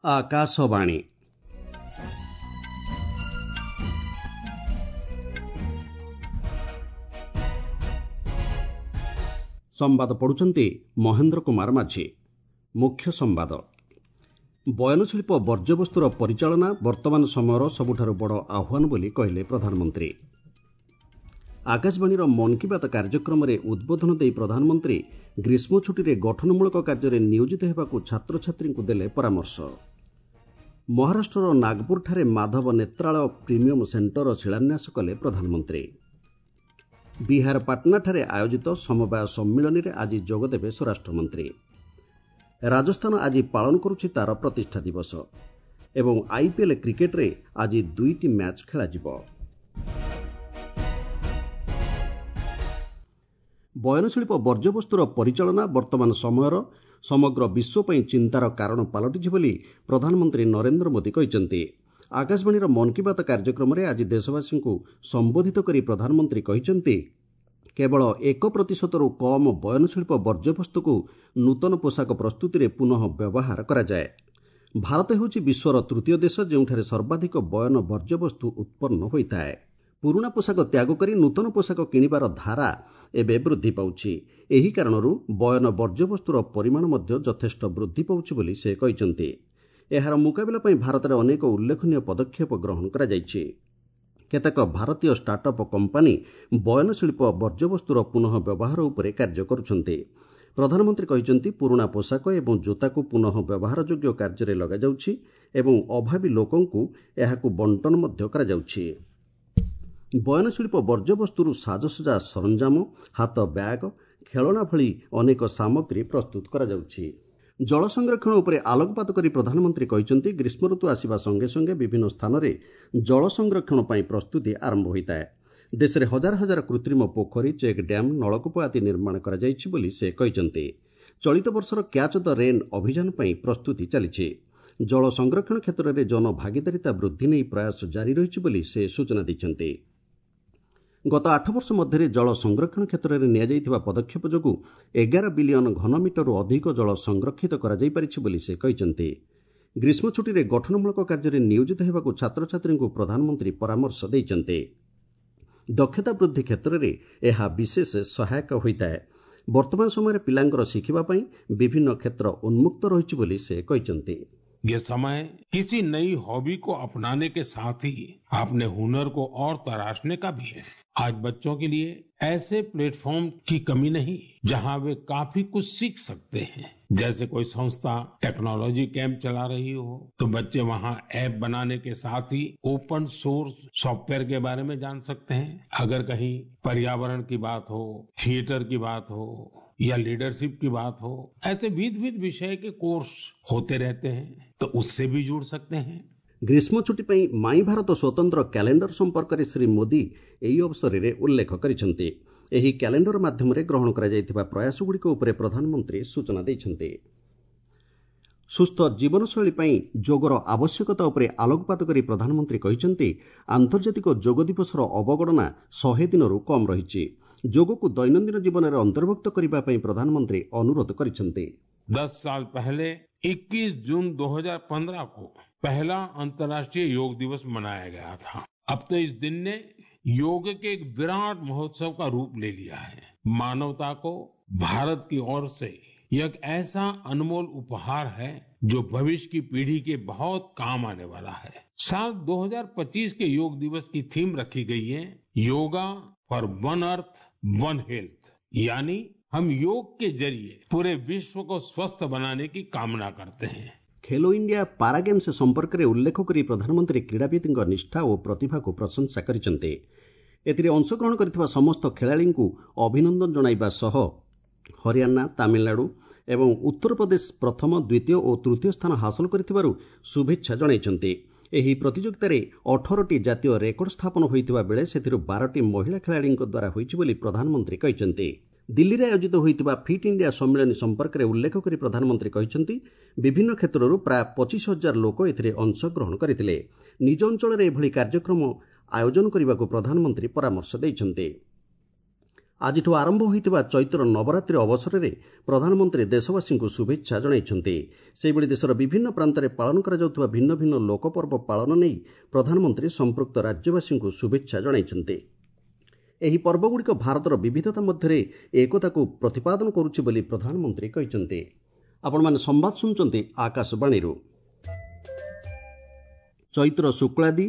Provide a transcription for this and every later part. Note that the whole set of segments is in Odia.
ଆକାଶବାଣୀ। ସମ୍ବାଦ ପଢ଼ୁଛନ୍ତି ମହେନ୍ଦ୍ର କୁମାର ମାଝୀ। ମୁଖ୍ୟ ସମ୍ବାଦ। ବୟନଶିଳ୍ପ ବର୍ଜ୍ୟବସ୍ତୁର ପରିଚାଳନା ବର୍ତ୍ତମାନ ସମୟର ସବୁଠାରୁ ବଡ଼ ଆହ୍ୱାନ ବୋଲି କହିଲେ ପ୍ରଧାନମନ୍ତ୍ରୀ। ଆକାଶବାଣୀର ମନ୍ କି ବାତ୍ କାର୍ଯ୍ୟକ୍ରମରେ ଉଦ୍ବୋଧନ ଦେଇ ପ୍ରଧାନମନ୍ତ୍ରୀ ଗ୍ରୀଷ୍ମ ଛୁଟିରେ ଗଠନମୂଳକ କାର୍ଯ୍ୟରେ ନିୟୋଜିତ ହେବାକୁ ଛାତ୍ରଛାତ୍ରୀଙ୍କୁ ଦେଲେ ପରାମର୍ଶ। ମହାରାଷ୍ଟ୍ରର ନାଗପୁରଠାରେ ମାଧବ ନେତ୍ରାଳୟ ପ୍ରିମିୟମ୍ ସେଣ୍ଟରର ଶିଳାନ୍ୟାସ କଲେ ପ୍ରଧାନମନ୍ତ୍ରୀ। ବିହାର ପାଟନାଠାରେ ଆୟୋଜିତ ସମବାୟ ସମ୍ମିଳନୀରେ ଆଜି ଯୋଗଦେବେ ସ୍ୱରାଷ୍ଟ୍ରମନ୍ତ୍ରୀ। ରାଜସ୍ଥାନ ଆଜି ପାଳନ କରୁଛି ତା'ର ପ୍ରତିଷ୍ଠା ଦିବସ ଏବଂ ଆଇପିଏଲ୍ କ୍ରିକେଟ୍ରେ ଆଜି ଦୁଇଟି ମ୍ୟାଚ୍ ଖେଳାଯିବ। ବୟନଶିଳ୍ପ ବର୍ଜ୍ୟବସ୍ତୁର ପରିଚାଳନା ବର୍ତ୍ତମାନ ସମୟର ସମଗ୍ର ବିଶ୍ୱ ପାଇଁ ଚିନ୍ତାର କାରଣ ପାଲଟିଛି ବୋଲି ପ୍ରଧାନମନ୍ତ୍ରୀ ନରେନ୍ଦ୍ର ମୋଦି କହିଛନ୍ତି। ଆକାଶବାଣୀର ମନ୍ କି ବାତ୍ କାର୍ଯ୍ୟକ୍ରମରେ ଆଜି ଦେଶବାସୀଙ୍କୁ ସମ୍ବୋଧିତ କରି ପ୍ରଧାନମନ୍ତ୍ରୀ କହିଛନ୍ତି, କେବଳ 1%ରୁ କମ୍ ବୟନଶିଳ୍ପ ବର୍ଜ୍ୟବସ୍ତୁକୁ ନୂତନ ପୋଷାକ ପ୍ରସ୍ତୁତିରେ ପୁନଃ ବ୍ୟବହାର କରାଯାଏ। ଭାରତ ହେଉଛି ବିଶ୍ୱର ତୃତୀୟ ଦେଶ ଯେଉଁଠାରେ ସର୍ବାଧିକ ବୟନ ବର୍ଜ୍ୟବସ୍ତୁ ଉତ୍ପନ୍ନ ହୋଇଥାଏ। ପୁରୁଣା ପୋଷାକ ତ୍ୟାଗ କରି ନୂତନ ପୋଷାକ କିଣିବାର ଧାରା ଏବେ ବୃଦ୍ଧି ପାଉଛି। ଏହି କାରଣରୁ ବୟନ ବର୍ଜ୍ୟବସ୍ତୁର ପରିମାଣ ମଧ୍ୟ ଯଥେଷ୍ଟ ବୃଦ୍ଧି ପାଉଛି ବୋଲି ସେ କହିଛନ୍ତି। ଏହାର ମୁକାବିଲା ପାଇଁ ଭାରତରେ ଅନେକ ଉଲ୍ଲେଖନୀୟ ପଦକ୍ଷେପ ଗ୍ରହଣ କରାଯାଇଛି। କେତେକ ଭାରତୀୟ ଷ୍ଟାର୍ଟଅପ୍ କମ୍ପାନୀ ବୟନଶିଳ୍ପ ବର୍ଜ୍ୟବସ୍ତୁର ପୁନଃ ବ୍ୟବହାର ଉପରେ କାର୍ଯ୍ୟ କରୁଛନ୍ତି। ପ୍ରଧାନମନ୍ତ୍ରୀ କହିଛନ୍ତି, ପୁରୁଣା ପୋଷାକ ଏବଂ ଜୋତାକୁ ପୁନଃ ବ୍ୟବହାରଯୋଗ୍ୟ କାର୍ଯ୍ୟରେ ଲଗାଯାଉଛି ଏବଂ ଅଭାବୀ ଲୋକଙ୍କୁ ଏହାକୁ ବଣ୍ଟନ ମଧ୍ୟ କରାଯାଉଛି। ବୟନଶିଳ୍ପ ବର୍ଜ୍ୟବସ୍ତୁରୁ ସାଜସଜା ସରଞ୍ଜାମ, ହାତ ବ୍ୟାଗ୍, ଖେଳଣା ଭଳି ଅନେକ ସାମଗ୍ରୀ ପ୍ରସ୍ତୁତ କରାଯାଉଛି। ଜଳ ସଂରକ୍ଷଣ ଉପରେ ଆଲୋକପାତ କରି ପ୍ରଧାନମନ୍ତ୍ରୀ କହିଛନ୍ତି, ଗ୍ରୀଷ୍ମ ଋତୁ ଆସିବା ସଙ୍ଗେ ସଙ୍ଗେ ବିଭିନ୍ନ ସ୍ଥାନରେ ଜଳ ସଂରକ୍ଷଣ ପାଇଁ ପ୍ରସ୍ତୁତି ଆରମ୍ଭ ହୋଇଥାଏ। ଦେଶରେ ହଜାର ହଜାର କୃତ୍ରିମ ପୋଖରୀ, ଚେକ୍ ଡ୍ୟାମ୍, ନଳକୂପ ଆଦି ନିର୍ମାଣ କରାଯାଇଛି ବୋଲି ସେ କହିଛନ୍ତି। ଚଳିତ ବର୍ଷର କ୍ୟାଚ୍ the rain ଅଭିଯାନ ପାଇଁ ପ୍ରସ୍ତୁତି ଚାଲିଛି। ଜଳ ସଂରକ୍ଷଣ କ୍ଷେତ୍ରରେ ଜନଭାଗିଦାରିତା ବୃଦ୍ଧି ନେଇ ପ୍ରୟାସ ଜାରି ରହିଛି ବୋଲି ସେ ସୂଚନା ଦେଇଛନ୍ତି। ଗତ 8 ବର୍ଷ ମଧ୍ୟରେ ଜଳ ସଂରକ୍ଷଣ କ୍ଷେତ୍ରରେ ନିଆଯାଇଥିବା ପଦକ୍ଷେପ ଯୋଗୁଁ 11 ବିଲିୟନ ଘନମିଟରରୁ ଅଧିକ ଜଳ ସଂରକ୍ଷିତ କରାଯାଇପାରିଛି ବୋଲି ସେ କହିଛନ୍ତି। ଗ୍ରୀଷ୍ମ ଛୁଟିରେ ଗଠନମୂଳକ କାର୍ଯ୍ୟରେ ନିୟୋଜିତ ହେବାକୁ ଛାତ୍ରଛାତ୍ରୀଙ୍କୁ ପ୍ରଧାନମନ୍ତ୍ରୀ ପରାମର୍ଶ ଦେଇଛନ୍ତି। ଦକ୍ଷତା ବୃଦ୍ଧି କ୍ଷେତ୍ରରେ ଏହା ବିଶେଷ ସହାୟକ ହୋଇଥାଏ। ବର୍ତ୍ତମାନ ସମୟରେ ପିଲାଙ୍କର ଶିଖିବା ପାଇଁ ବିଭିନ୍ନ କ୍ଷେତ୍ର ଉନ୍ମୁକ୍ତ ରହିଛି ବୋଲି ସେ କହିଛନ୍ତି। ये समय किसी नई हॉबी को अपनाने के साथ ही अपने हुनर को और तराशने का भी है। आज बच्चों के लिए ऐसे प्लेटफॉर्म की कमी नहीं जहां वे काफी कुछ सीख सकते हैं। जैसे कोई संस्था टेक्नोलॉजी कैंप चला रही हो तो बच्चे वहां ऐप बनाने के साथ ही ओपन सोर्स सॉफ्टवेयर के बारे में जान सकते हैं। अगर कहीं पर्यावरण की बात हो, थिएटर की बात हो या लीडरशिप की बात हो, ऐसे विविध विषय के कोर्स होते रहते हैं तो उससे भी जुड़ सकते हैं। ଗ୍ରୀଷ୍ମ ଛୁଟି ପାଇଁ ମାଇ ଭାରତ ସ୍ୱତନ୍ତ୍ର କ୍ୟାଲେଣ୍ଡର ସମ୍ପର୍କରେ ଶ୍ରୀ ମୋଦି ଏହି ଅବସରରେ ଉଲ୍ଲେଖ କରିଛନ୍ତି। ଏହି କ୍ୟାଲେଣ୍ଡର ମାଧ୍ୟମରେ ଗ୍ରହଣ କରାଯାଇଥିବା ପ୍ରୟାସଗୁଡ଼ିକ ଉପରେ ପ୍ରଧାନମନ୍ତ୍ରୀ ସୂଚନା ଦେଇଛନ୍ତି। ସୁସ୍ଥ ଜୀବନଶୈଳୀ ପାଇଁ ଯୋଗର ଆବଶ୍ୟକତା ଉପରେ ଆଲୋକପାତ କରି ପ୍ରଧାନମନ୍ତ୍ରୀ କହିଛନ୍ତି, ଆନ୍ତର୍ଜାତିକ ଯୋଗ ଦିବସର ଅବଗଣନା 100 ଦିନରୁ କମ୍ ରହିଛି। ଯୋଗକୁ ଦୈନନ୍ଦିନ ଜୀବନରେ ଅନ୍ତର୍ଭୁକ୍ତ କରିବା ପାଇଁ ପ୍ରଧାନମନ୍ତ୍ରୀ ଅନୁରୋଧ କରିଛନ୍ତି। 10 साल पहले 21 जून 2015 को पहला अंतर्राष्ट्रीय योग दिवस मनाया गया था। अब तो इस दिन ने योग के एक विराट महोत्सव का रूप ले लिया है। मानवता को भारत की ओर से यह एक ऐसा अनमोल उपहार है जो भविष्य की पीढ़ी के बहुत काम आने वाला है। साल 2025 के योग दिवस की थीम रखी गई है yoga for one earth one health, यानी हम योग के जरिए पूरे विश्व को स्वस्थ बनाने की कामना करते हैं। ଖେଲୋ ଇଣ୍ଡିଆ ପାରା ଗେମ୍ସ ସମ୍ପର୍କରେ ଉଲ୍ଲେଖ କରି ପ୍ରଧାନମନ୍ତ୍ରୀ କ୍ରୀଡ଼ାବିତ୍ଙ୍କ ନିଷ୍ଠା ଓ ପ୍ରତିଭାକୁ ପ୍ରଶଂସା କରିଛନ୍ତି। ଏଥିରେ ଅଂଶଗ୍ରହଣ କରିଥିବା ସମସ୍ତ ଖେଳାଳିଙ୍କୁ ଅଭିନନ୍ଦନ ଜଣାଇବା ସହ ହରିୟାଣା, ତାମିଲନାଡୁ ଏବଂ ଉତ୍ତରପ୍ରଦେଶ ପ୍ରଥମ, ଦ୍ୱିତୀୟ ଓ ତୃତୀୟ ସ୍ଥାନ ହାସଲ କରିଥିବାରୁ ଶୁଭେଚ୍ଛା ଜଣାଇଛନ୍ତି। ଏହି ପ୍ରତିଯୋଗିତାରେ 18ଟି ଜାତୀୟ ରେକର୍ଡ ସ୍ଥାପନ ହୋଇଥିବା ବେଳେ ସେଥିରୁ 12ଟି ମହିଳା ଖେଳାଳିଙ୍କ ଦ୍ୱାରା ହୋଇଛି ବୋଲି ପ୍ରଧାନମନ୍ତ୍ରୀ କହିଛନ୍ତି। ଦିଲ୍ଲୀରେ ଆୟୋଜିତ ହୋଇଥିବା ଫିଟ୍ ଇଣ୍ଡିଆ ସମ୍ମିଳନୀ ସମ୍ପର୍କରେ ଉଲ୍ଲେଖ କରି ପ୍ରଧାନମନ୍ତ୍ରୀ କହିଛନ୍ତି, ବିଭିନ୍ନ କ୍ଷେତ୍ରରୁ ପ୍ରାୟ 25,000 ଲୋକ ଏଥିରେ ଅଂଶଗ୍ରହଣ କରିଥିଲେ। ନିଜ ଅଞ୍ଚଳରେ ଏଭଳି କାର୍ଯ୍ୟକ୍ରମ ଆୟୋଜନ କରିବାକୁ ପ୍ରଧାନମନ୍ତ୍ରୀ ପରାମର୍ଶ ଦେଇଛନ୍ତି। ଆଜିଠୁ ଆରମ୍ଭ ହୋଇଥିବା ଚୈତ୍ର ନବରାତ୍ରି ଅବସରରେ ପ୍ରଧାନମନ୍ତ୍ରୀ ଦେଶବାସୀଙ୍କୁ ଶୁଭେଚ୍ଛା ଜଣାଇଛନ୍ତି। ସେହିଭଳି ଦେଶର ବିଭିନ୍ନ ପ୍ରାନ୍ତରେ ପାଳନ କରାଯାଉଥିବା ଭିନ୍ନ ଭିନ୍ନ ଲୋକପର୍ବ ପାଳନ ନେଇ ପ୍ରଧାନମନ୍ତ୍ରୀ ସମ୍ପୃକ୍ତ ରାଜ୍ୟବାସୀଙ୍କୁ ଶୁଭେଚ୍ଛା ଜଣାଇଛନ୍ତି। ଏହି ପର୍ବଗୁଡ଼ିକ ଭାରତର ବିବିଧତା ମଧ୍ୟରେ ଏକତାକୁ ପ୍ରତିପାଦନ କରୁଛି ବୋଲି ପ୍ରଧାନମନ୍ତ୍ରୀ କହିଛନ୍ତି। ଆପଣମାନେ ସମ୍ବାଦ ଶୁଣୁଛନ୍ତି ଆକାଶବାଣୀରୁ। ଚୈତ୍ର ଶୁକ୍ଳାଦି,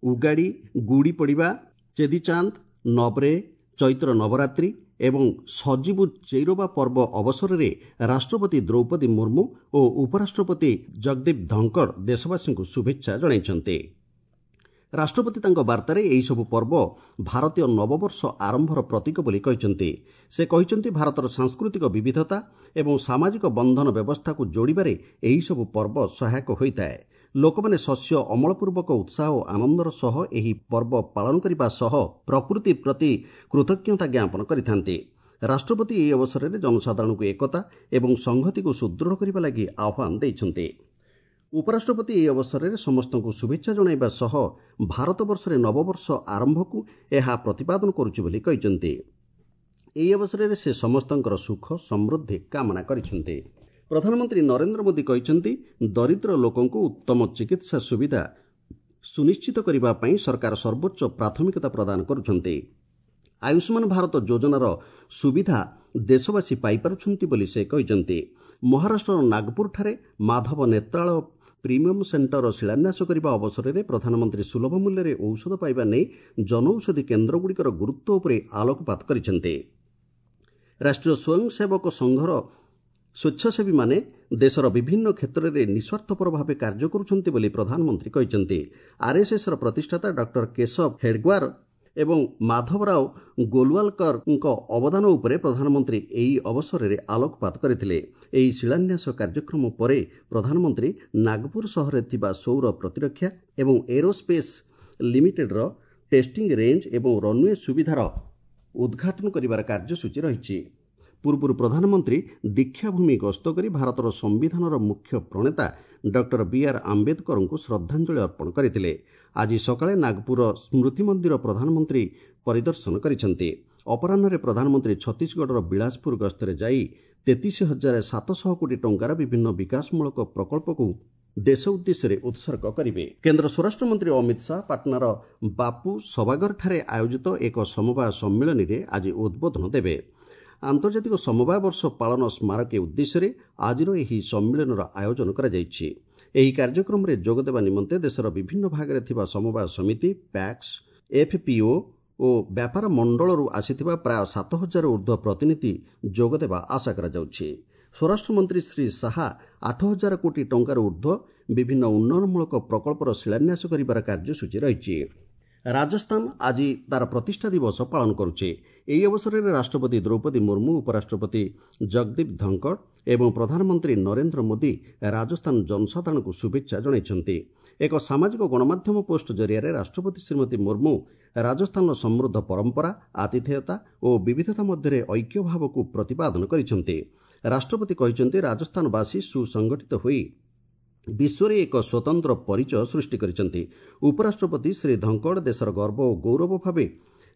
ଉଗାଡ଼ି, ଗୁଡ଼ି ପଡ଼ିବା, ଚେଦିଚାନ୍ଦ, ନବରେ, ଚୈତ୍ର ନବରାତ୍ରି ଏବଂ ସଜୀବୁ ଚୈରବା ପର୍ବ ଅବସରରେ ରାଷ୍ଟ୍ରପତି ଦ୍ରୌପଦୀ ମୁର୍ମୁ ଓ ଉପରାଷ୍ଟ୍ରପତି ଜଗଦୀପ ଧଙ୍କଡ଼ ଦେଶବାସୀଙ୍କୁ ଶୁଭେଚ୍ଛା ଜଣାଇଛନ୍ତି। ରାଷ୍ଟ୍ରପତି ତାଙ୍କ ବାର୍ତ୍ତାରେ ଏହିସବୁ ପର୍ବ ଭାରତୀୟ ନବବର୍ଷ ଆରମ୍ଭର ପ୍ରତୀକ ବୋଲି କହିଛନ୍ତି। ସେ କହିଛନ୍ତି, ଭାରତର ସାଂସ୍କୃତିକ ବିବିଧତା ଏବଂ ସାମାଜିକ ବନ୍ଧନ ବ୍ୟବସ୍ଥାକୁ ଯୋଡ଼ିବାରେ ଏହିସବୁ ପର୍ବ ସହାୟକ ହୋଇଥାଏ। ଲୋକମାନେ ଶସ୍ୟ ଅମଳପୂର୍ବକ ଉତ୍ସାହ ଓ ଆନନ୍ଦର ସହ ଏହି ପର୍ବ ପାଳନ କରିବା ସହ ପ୍ରକୃତି ପ୍ରତି କୃତଜ୍ଞତା ଜ୍ଞାପନ କରିଥାନ୍ତି। ରାଷ୍ଟ୍ରପତି ଏହି ଅବସରରେ ଜନସାଧାରଣଙ୍କୁ ଏକତା ଏବଂ ସଂହତିକୁ ସୁଦୃଢ଼ କରିବା ଲାଗି ଆହ୍ୱାନ ଦେଇଛନ୍ତି। ଉପରାଷ୍ଟ୍ରପତି ଏହି ଅବସରରେ ସମସ୍ତଙ୍କୁ ଶୁଭେଚ୍ଛା ଜଣାଇବା ସହ ଭାରତବର୍ଷରେ ନବବର୍ଷ ଆରମ୍ଭକୁ ଏହା ପ୍ରତିପାଦନ କରୁଛି ବୋଲି କହିଛନ୍ତି। ଏହି ଅବସରରେ ସେ ସମସ୍ତଙ୍କର ସୁଖ ସମୃଦ୍ଧି କାମନା କରିଛନ୍ତି। ପ୍ରଧାନମନ୍ତ୍ରୀ ନରେନ୍ଦ୍ର ମୋଦି କହିଛନ୍ତି, ଦରିଦ୍ର ଲୋକଙ୍କୁ ଉତ୍ତମ ଚିକିତ୍ସା ସୁବିଧା ସୁନିଶ୍ଚିତ କରିବା ପାଇଁ ସରକାର ସର୍ବୋଚ୍ଚ ପ୍ରାଥମିକତା ପ୍ରଦାନ କରୁଛନ୍ତି। ଆୟୁଷ୍ମାନ ଭାରତ ଯୋଜନାର ସୁବିଧା ଦେଶବାସୀ ପାଇପାରୁଛନ୍ତି ବୋଲି ସେ କହିଛନ୍ତି। ମହାରାଷ୍ଟ୍ରର ନାଗପୁରଠାରେ ମାଧବ ନେତ୍ରାଳୟ ପ୍ରିମିୟମ୍ ସେଣ୍ଟରର ଶିଳାନ୍ୟାସ କରିବା ଅବସରରେ ପ୍ରଧାନମନ୍ତ୍ରୀ ସୁଲଭ ମୂଲ୍ୟରେ ଔଷଧ ପାଇବା ନେଇ ଜନୌଷଧି କେନ୍ଦ୍ରଗୁଡ଼ିକର ଗୁରୁତ୍ୱ ଉପରେ ଆଲୋକପାତ କରିଛନ୍ତି। ରାଷ୍ଟ୍ରୀୟ ସ୍ୱୟଂସେବକ ସଂଘର ସ୍ୱେଚ୍ଛାସେବୀମାନେ ଦେଶର ବିଭିନ୍ନ କ୍ଷେତ୍ରରେ ନିଃସ୍ୱାର୍ଥପର ଭାବେ କାର୍ଯ୍ୟ କରୁଛନ୍ତି ବୋଲି ପ୍ରଧାନମନ୍ତ୍ରୀ କହିଛନ୍ତି। ଆର୍ଏସ୍ଏସ୍ର ପ୍ରତିଷ୍ଠାତା ଡକ୍ଟର କେଶବ ହେଡ୍ଗୱାର ଏବଂ ମାଧବରାଓ ଗୋଲୱାଲକରଙ୍କ ଅବଦାନ ଉପରେ ପ୍ରଧାନମନ୍ତ୍ରୀ ଏହି ଅବସରରେ ଆଲୋକପାତ କରିଥିଲେ। ଏହି ଶିଳାନ୍ୟାସ କାର୍ଯ୍ୟକ୍ରମ ପରେ ପ୍ରଧାନମନ୍ତ୍ରୀ ନାଗପୁର ସହରରେ ଥିବା ସୌର ପ୍ରତିରକ୍ଷା ଏବଂ ଏରୋସ୍ପେସ୍ ଲିମିଟେଡ୍ର ଟେଷ୍ଟିଂ ରେଞ୍ଜ ଏବଂ ରନ୍ୱେ ସୁବିଧାର ଉଦ୍ଘାଟନ କରିବାର କାର୍ଯ୍ୟସୂଚୀ ରହିଛି। ପୂର୍ବରୁ ପ୍ରଧାନମନ୍ତ୍ରୀ ଦୀକ୍ଷାଭୂମି ଗସ୍ତ କରି ଭାରତର ସମ୍ବିଧାନର ମୁଖ୍ୟ ପ୍ରଣେତା ଡକ୍ଟର ବି.ଆର୍. ଆମ୍ବେଦକରଙ୍କୁ ଶ୍ରଦ୍ଧାଞ୍ଜଳି ଅର୍ପଣ କରିଥିଲେ। ଆଜି ସକାଳେ ନାଗପୁର ସ୍ମୃତି ମନ୍ଦିର ପ୍ରଧାନମନ୍ତ୍ରୀ ପରିଦର୍ଶନ କରିଛନ୍ତି। ଅପରାହ୍ନରେ ପ୍ରଧାନମନ୍ତ୍ରୀ ଛତିଶଗଡ଼ର ବିଳାସପୁର ଗସ୍ତରେ ଯାଇ 33,700 କୋଟି ଟଙ୍କାର ବିଭିନ୍ନ ବିକାଶମୂଳକ ପ୍ରକଳ୍ପକୁ ଦେଶ ଉଦ୍ଦେଶ୍ୟରେ ଉତ୍ସର୍ଗ କରିବେ। କେନ୍ଦ୍ର ସ୍ୱରାଷ୍ଟ୍ରମନ୍ତ୍ରୀ ଅମିତ ଶାହା ପାଟନାର ବାପୁ ସଭାଗରଠାରେ ଆୟୋଜିତ ଏକ ସମବାୟ ସମ୍ମିଳନୀରେ ଆଜି ଉଦ୍ବୋଧନ ଦେବେ। ଆନ୍ତର୍ଜାତିକ ସମବାୟ ବର୍ଷ ପାଳନ ସ୍ମାରକୀ ଉଦ୍ଦେଶ୍ୟରେ ଆଜିର ଏହି ସମ୍ମିଳନୀର ଆୟୋଜନ କରାଯାଇଛି। ଏହି କାର୍ଯ୍ୟକ୍ରମରେ ଯୋଗଦେବା ନିମନ୍ତେ ଦେଶର ବିଭିନ୍ନ ଭାଗରେ ଥିବା ସମବାୟ ସମିତି, ପ୍ୟାକ୍ସ, ଏଫ୍ପିଓ ଓ ବ୍ୟାପାର ମଣ୍ଡଳରୁ ଆସିଥିବା ପ୍ରାୟ 7,000 ଉର୍ଦ୍ଧ୍ୱ ପ୍ରତିନିଧି ଯୋଗଦେବା ଆଶା କରାଯାଉଛି। ସ୍ୱରାଷ୍ଟ୍ରମନ୍ତ୍ରୀ ଶ୍ରୀ ଶାହା 8,000 କୋଟି ଟଙ୍କାରୁ ଉର୍ଦ୍ଧ୍ୱ ବିଭିନ୍ନ ଉନ୍ନୟନମୂଳକ ପ୍ରକଳ୍ପର ଶିଳାନ୍ୟାସ କରିବାର କାର୍ଯ୍ୟସୂଚୀ ରହିଛି। ରାଜସ୍ଥାନ ଆଜି ତାର ପ୍ରତିଷ୍ଠା ଦିବସ ପାଳନ କରୁଛି। ଏହି ଅବସରରେ ରାଷ୍ଟ୍ରପତି ଦ୍ରୌପଦୀ ମୁର୍ମୁ, ଉପରାଷ୍ଟ୍ରପତି ଜଗଦୀପ ଧଙ୍କଡ଼ ଏବଂ ପ୍ରଧାନମନ୍ତ୍ରୀ ନରେନ୍ଦ୍ର ମୋଦି ରାଜସ୍ଥାନ ଜନସାଧାରଣଙ୍କୁ ଶୁଭେଚ୍ଛା ଜଣାଇଛନ୍ତି। ଏକ ସାମାଜିକ ଗଣମାଧ୍ୟମ ପୋଷ୍ଟ ଜରିଆରେ ରାଷ୍ଟ୍ରପତି ଶ୍ରୀମତୀ ମୁର୍ମୁ ରାଜସ୍ଥାନର ସମୃଦ୍ଧ ପରମ୍ପରା, ଆତିଥେୟତା ଓ ବିବିଧତା ମଧ୍ୟରେ ଐକ୍ୟଭାବକୁ ପ୍ରତିପାଦନ କରିଛନ୍ତି। ରାଷ୍ଟ୍ରପତି କହିଛନ୍ତି, ରାଜସ୍ଥାନବାସୀ ସୁସଂଗଠିତ ହୋଇ ବିଶ୍ୱରେ ଏକ ସ୍ୱତନ୍ତ୍ର ପରିଚୟ ସୃଷ୍ଟି କରିଛନ୍ତି। ଉପରାଷ୍ଟ୍ରପତି ଶ୍ରୀ ଧଙ୍କଡ଼ ଦେଶର ଗର୍ବ ଓ ଗୌରବ ଭାବେ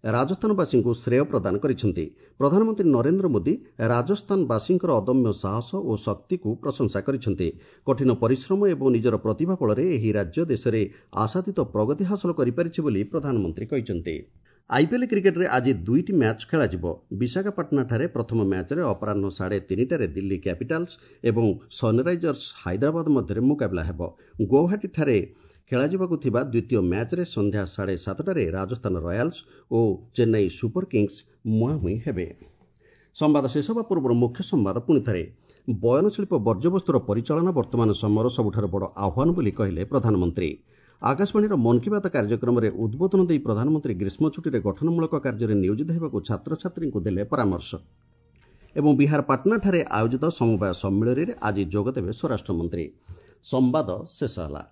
ରାଜସ୍ଥାନବାସୀଙ୍କୁ ଶ୍ରେୟ ପ୍ରଦାନ କରିଛନ୍ତି। ପ୍ରଧାନମନ୍ତ୍ରୀ ନରେନ୍ଦ୍ର ମୋଦି ରାଜସ୍ଥାନବାସୀଙ୍କର ଅଦମ୍ୟ ସାହସ ଓ ଶକ୍ତିକୁ ପ୍ରଶଂସା କରିଛନ୍ତି। କଠିନ ପରିଶ୍ରମ ଏବଂ ନିଜର ପ୍ରତିଭା ବଳରେ ଏହି ରାଜ୍ୟ ଦେଶରେ ଆଶାତୀତ ପ୍ରଗତି ହାସଲ କରିପାରିଛି ବୋଲି ପ୍ରଧାନମନ୍ତ୍ରୀ କହିଛନ୍ତି। ଆଇପିଏଲ୍ କ୍ରିକେଟ୍ରେ ଆଜି ଦୁଇଟି ମ୍ୟାଚ୍ ଖେଳାଯିବ। ବିଶାଖାପାଟଣାଠାରେ ପ୍ରଥମ ମ୍ୟାଚ୍ରେ ଅପରାହ୍ନ 3:30ରେ ଦିଲ୍ଲୀ କ୍ୟାପିଟାଲ୍ସ ଏବଂ ସନ୍ରାଇଜର୍ସ ହାଇଦ୍ରାବାଦ ମଧ୍ୟରେ ମୁକାବିଲା ହେବ। ଗୌହାଟୀଠାରେ ଖେଳାଯିବାକୁ ଥିବା ଦ୍ୱିତୀୟ ମ୍ୟାଚ୍ରେ ସନ୍ଧ୍ୟା 7:30ରେ ରାଜସ୍ଥାନ ରୟାଲ୍ସ ଓ ଚେନ୍ନାଇ ସୁପର କିଙ୍ଗସ୍ ମୁହାଁମୁହିଁ ହେବେ। ସମ୍ବାଦ ଶେଷ ହେବା ପୂର୍ବରୁ ମୁଖ୍ୟ ସମ୍ବାଦ ପୁଣିଥରେ। ବୟନଶିଳ୍ପ ବର୍ଜ୍ୟବସ୍ତୁର ପରିଚାଳନା ବର୍ତ୍ତମାନ ସମୟର ସବୁଠାରୁ ବଡ଼ ଆହ୍ୱାନ ବୋଲି କହିଲେ ପ୍ରଧାନମନ୍ତ୍ରୀ। ଆକାଶବାଣୀର ମନ୍ କି ବାତ୍ କାର୍ଯ୍ୟକ୍ରମରେ ଉଦ୍ବୋଧନ ଦେଇ ପ୍ରଧାନମନ୍ତ୍ରୀ ଗ୍ରୀଷ୍ମ ଛୁଟିରେ ଗଠନମୂଳକ କାର୍ଯ୍ୟରେ ନିୟୋଜିତ ହେବାକୁ ଛାତ୍ରଛାତ୍ରୀଙ୍କୁ ଦେଲେ ପରାମର୍ଶ। ଏବଂ ବିହାର ପାଟନାଠାରେ ଆୟୋଜିତ ସମବାୟ ସମ୍ମିଳନୀରେ ଆଜି ଯୋଗଦେବେ ସ୍ୱରାଷ୍ଟ୍ରମନ୍ତ୍ରୀ। ସମ୍ବାଦ ଶେଷ ହେଲା।